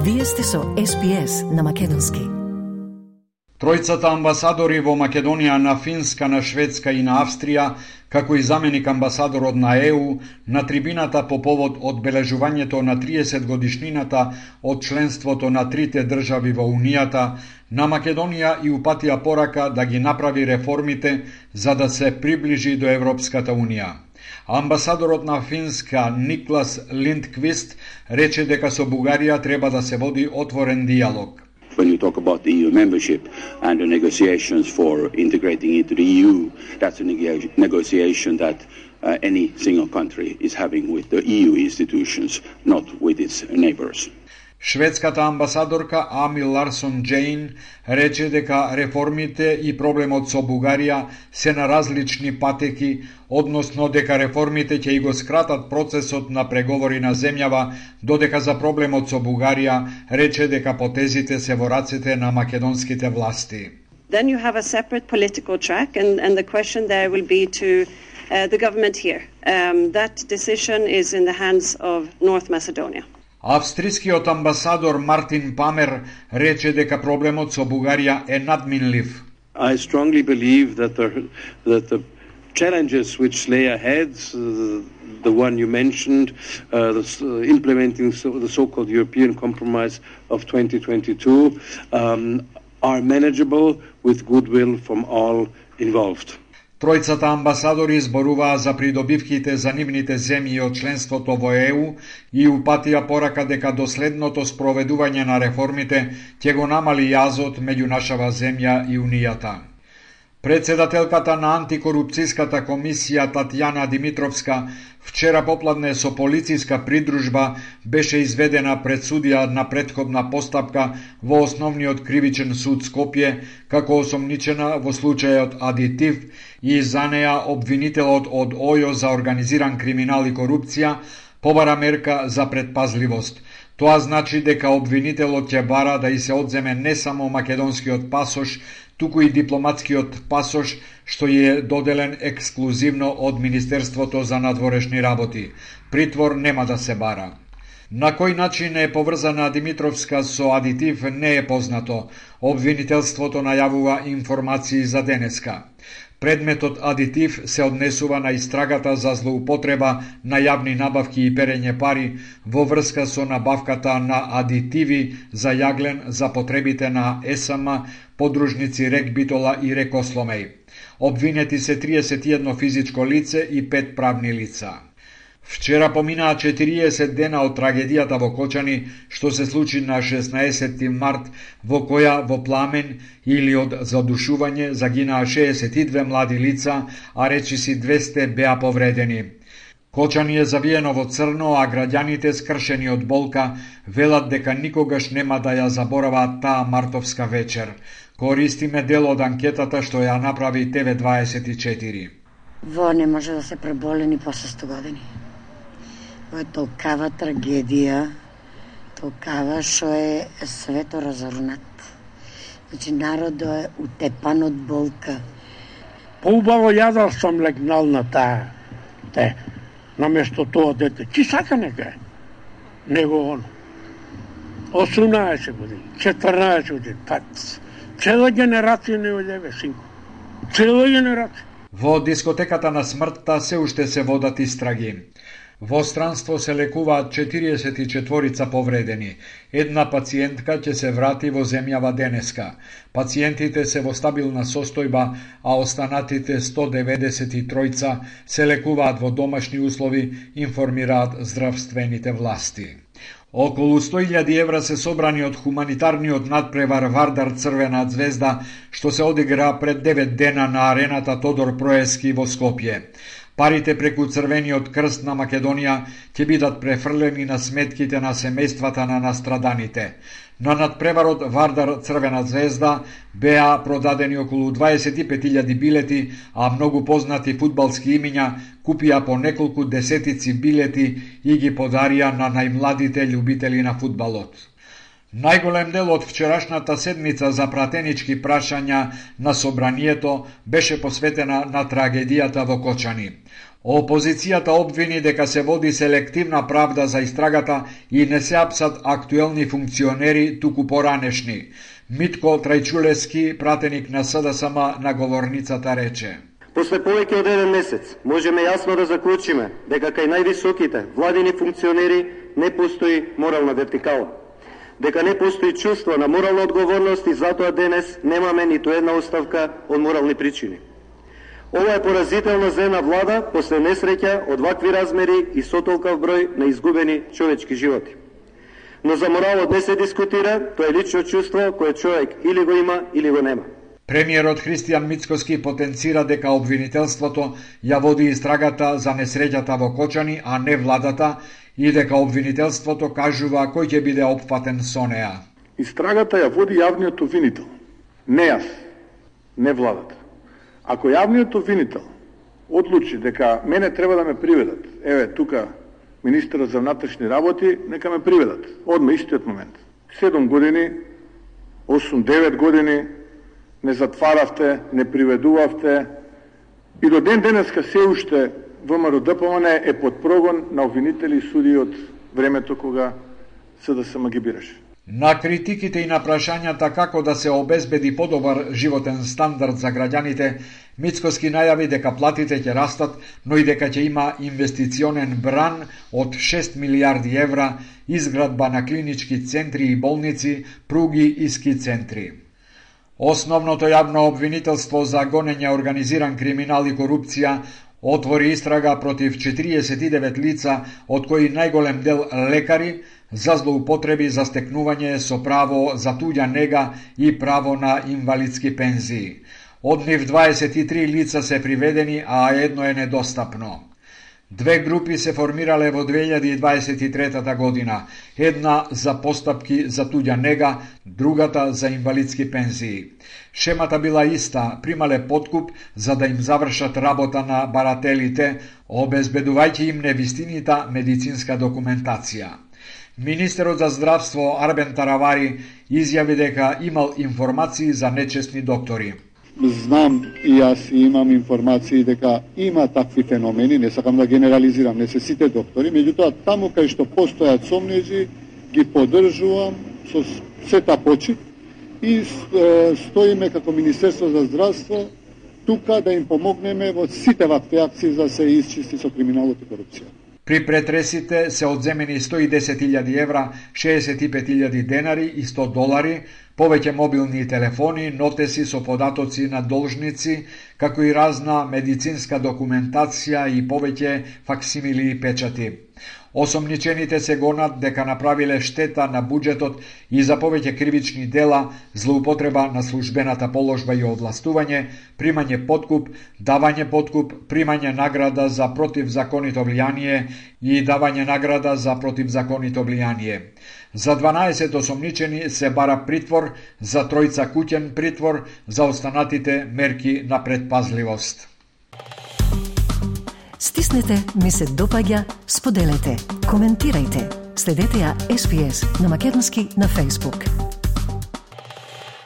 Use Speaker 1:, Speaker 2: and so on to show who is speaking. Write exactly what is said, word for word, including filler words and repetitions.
Speaker 1: Вие сте со Ес Би Ес на македонски.
Speaker 2: Тројцата амбасадори во Македонија, на Финска, на Шведска и на Австрија, како и заменик амбасадорот на Е У, на трибината по повод одбележувањето на триесет годишнината од членството на трите држави во Унијата, на Македонија и упатија порака да ги направи реформите за да се приближи до Европската Унија. Амбасадорот на Финска Никлас Линдквист рече дека со Бугарија треба да се води отворен диалог.
Speaker 3: When you talk about the E U membership and the negotiations for integrating into the E U, that's a neg- negotiation that uh, any single country is having with the E U institutions, not with its neighbors.
Speaker 2: Шведската амбасадорка Ами Ларсон Джейн рече дека реформите и проблемот со Бугарија се на различни патеки, односно дека реформите ќе и го скратат процесот на преговори на земјава, додека за проблемот со Бугарија рече дека потезите се во рацете на македонските власти.
Speaker 4: Then you have a separate political track and, and the question there will be to uh, the government here. Um, that decision is in the hands of North Macedonia.
Speaker 2: Австрискиот амбасадор Мартин Памер рече дека проблемот со Бугарија е надминлив.
Speaker 5: I strongly believe that the, that the challenges which lay ahead, uh, the one you mentioned, uh, the, uh, implementing so, the so-called European Compromise of twenty twenty-two, um, are manageable with goodwill from all involved.
Speaker 2: Тројцата амбасадори зборуваа за придобивките за нивните земји од членството во Е У и упатија порака дека доследното спроведување на реформите ќе го намали јазот меѓу нашава земја и Унијата. Председателката на антикорупцијската комисија Татјана Димитровска вчера попладне со полициска придружба беше изведена пред судија на претходна постапка во Основниот кривичен суд Скопје како осомничена во случајот Адитив и за неа обвинителот од ОЈО за организиран криминал и корупција побара мерка за предпазливост. Тоа значи дека обвинителот ќе бара да и се одземе не само македонскиот пасош, туку и дипломатскиот пасош, што е доделен ексклузивно од Министерството за надворешни работи. Притвор нема да се бара. На кој начин е поврзана Димитровска со Адитив не е познато. Обвинителството најавува информации за денеска. Предметот Адитив се однесува на истрагата за злоупотреба на јавни набавки и перење пари во врска со набавката на адитиви за јаглен за потребите на Е С М, подружници Рек Битола и Рекосломеј. Обвинети се триесет и едно физичко лице и пет правни лица. Вчера поминаа четириесет дена од трагедијата во Кочани, што се случи на шеснаесети март, во која во пламен или од задушување загинаа шеесет и две млади лица, а речиси двесте беа повредени. Кочани е завиено во црно, а граѓаните скршени од болка велат дека никогаш нема да ја забораваат таа мартовска вечер. Користиме дел од анкетата што ја направи Т В дваесет и четири.
Speaker 6: Во не може да се преболи ни после сто години. Во е толкава трагедија, толкава што е свето разорнат. Значи народот е утепан од болка.
Speaker 7: Поубаво јадал сум легнал на таа, те, наместо тоа дете. Чи сака нека е? Него он. осумнаесет години, четрнаесет години, па цела генерација не одеве, синко. Цела генерација.
Speaker 2: Во дискотеката на смртта се уште се водат истраги. Во странство се лекуваат четириесет и четворица повредени. Една пациентка ќе се врати во земјава денеска. Пациентите се во стабилна состојба, а останатите сто деветдесет и тројца се лекуваат во домашни услови, информираат здравствените власти. Околу сто илјади евра се собрани од хуманитарниот надпревар Вардар Црвена звезда, што се одигра пред девет дена на арената Тодор Проески во Скопје. Парите преку Црвениот крст на Македонија ќе бидат префрлени на сметките на семејствата на настраданите. На надпреварот Вардар Црвена звезда беа продадени околу дваесет и пет илјади билети, а многу познати фудбалски имиња купија по неколку десетици билети и ги подарија на најмладите љубители на фудбалот. Најголем дел од вчерашната седмица за пратенички прашања на собранието беше посветена на трагедијата во Кочани. Опозицијата обвини дека се води селективна правда за истрагата и не се апсат актуелни функционери, туку поранешни. Митко Трајчулевски, пратеник на СДСМ на говорницата, рече:
Speaker 8: После повеќе од еден месец можеме јасно да заклучиме дека кај највисоките владини функционери не постои морална вертикала, дека не постои чувство на морална одговорност и затоа денес немаме ниту една оставка од морални причини. Ова е поразителна за една влада после несреќа од вакви размери и со толков број на изгубени човечки животи. Но за моралот не се дискутира, тоа е лично чувство кое човек или го има, или го нема.
Speaker 2: Премиерот Христијан Мицкоски потенцира дека обвинителството ја води истрагата за несреќата во Кочани, а не владата, и дека обвинителството кажува кој ќе биде опфатен со неа.
Speaker 9: Истрагата ја води јавниот обвинител, не јас, не владата. Ако јавниот обвинител одлучи дека мене треба да ме приведат, еве тука министерот за внатрешни работи, нека ме приведат, одма истиот момент. седум години, осум девет години, не затваравте, не приведувавте и до ден денеска се уште ВМРО Д П М Н е под прогон на обвинители и суди од времето кога СДСМ ги бираше.
Speaker 2: На критиките и на прашањата како да се обезбеди подобар животен стандард за граѓаните, Мицкоски најави дека платите ќе растат, но и дека ќе има инвестиционен бран од шест милијарди евра, изградба на клинички центри и болници, пруги и ски центри. Основното јавно обвинителство за гонење организиран криминал и корупција отвори истрага против четириесет и девет лица, од кои најголем дел лекари, за злоупотреби за стекнување со право за туѓа нега и право на инвалидски пензии. Од нив дваесет и три лица се приведени, а едно е недостапно. Две групи се формирале во две илјади и дваесет и трета година, една за постапки за туѓа нега, другата за инвалидски пензии. Шемата била иста, примале подкуп за да им завршат работа на барателите, обезбедувајќи им невистинита медицинска документација. Министерот за здравство Арбен Таравари изјави дека имал информации за нечестни доктори.
Speaker 10: Знам и јас имам информации дека има такви феномени, не сакам да генерализирам, не се сите доктори, меѓутоа таму кај што постојат сомнежи ги поддржувам со сета почит и стоиме како Министерство за здравство тука да им помогнеме во сите вакви акции за да се исчисти со криминалот и корупција.
Speaker 2: При претресите се одземени сто и десет илјади евра, шеесет и пет илјади денари и сто долари, повеќе мобилни телефони, нотеси со податоци на должници, како и разна медицинска документација и повеќе факсимили и печати. Осомничените се гонат дека направиле штета на буџетот и за повеќе кривични дела, злоупотреба на службената положба и овластување, примање подкуп, давање подкуп, примање награда за противзаконито влијание и давање награда за противзаконито влијание. За дванаесет осомничени се бара притвор, за тројца куќен притвор, за останатите мерки на предпазливост.
Speaker 1: Стиснете, ми се допаѓа, споделете, коментирајте. Следете ја Ес Би Ес на македонски на Facebook.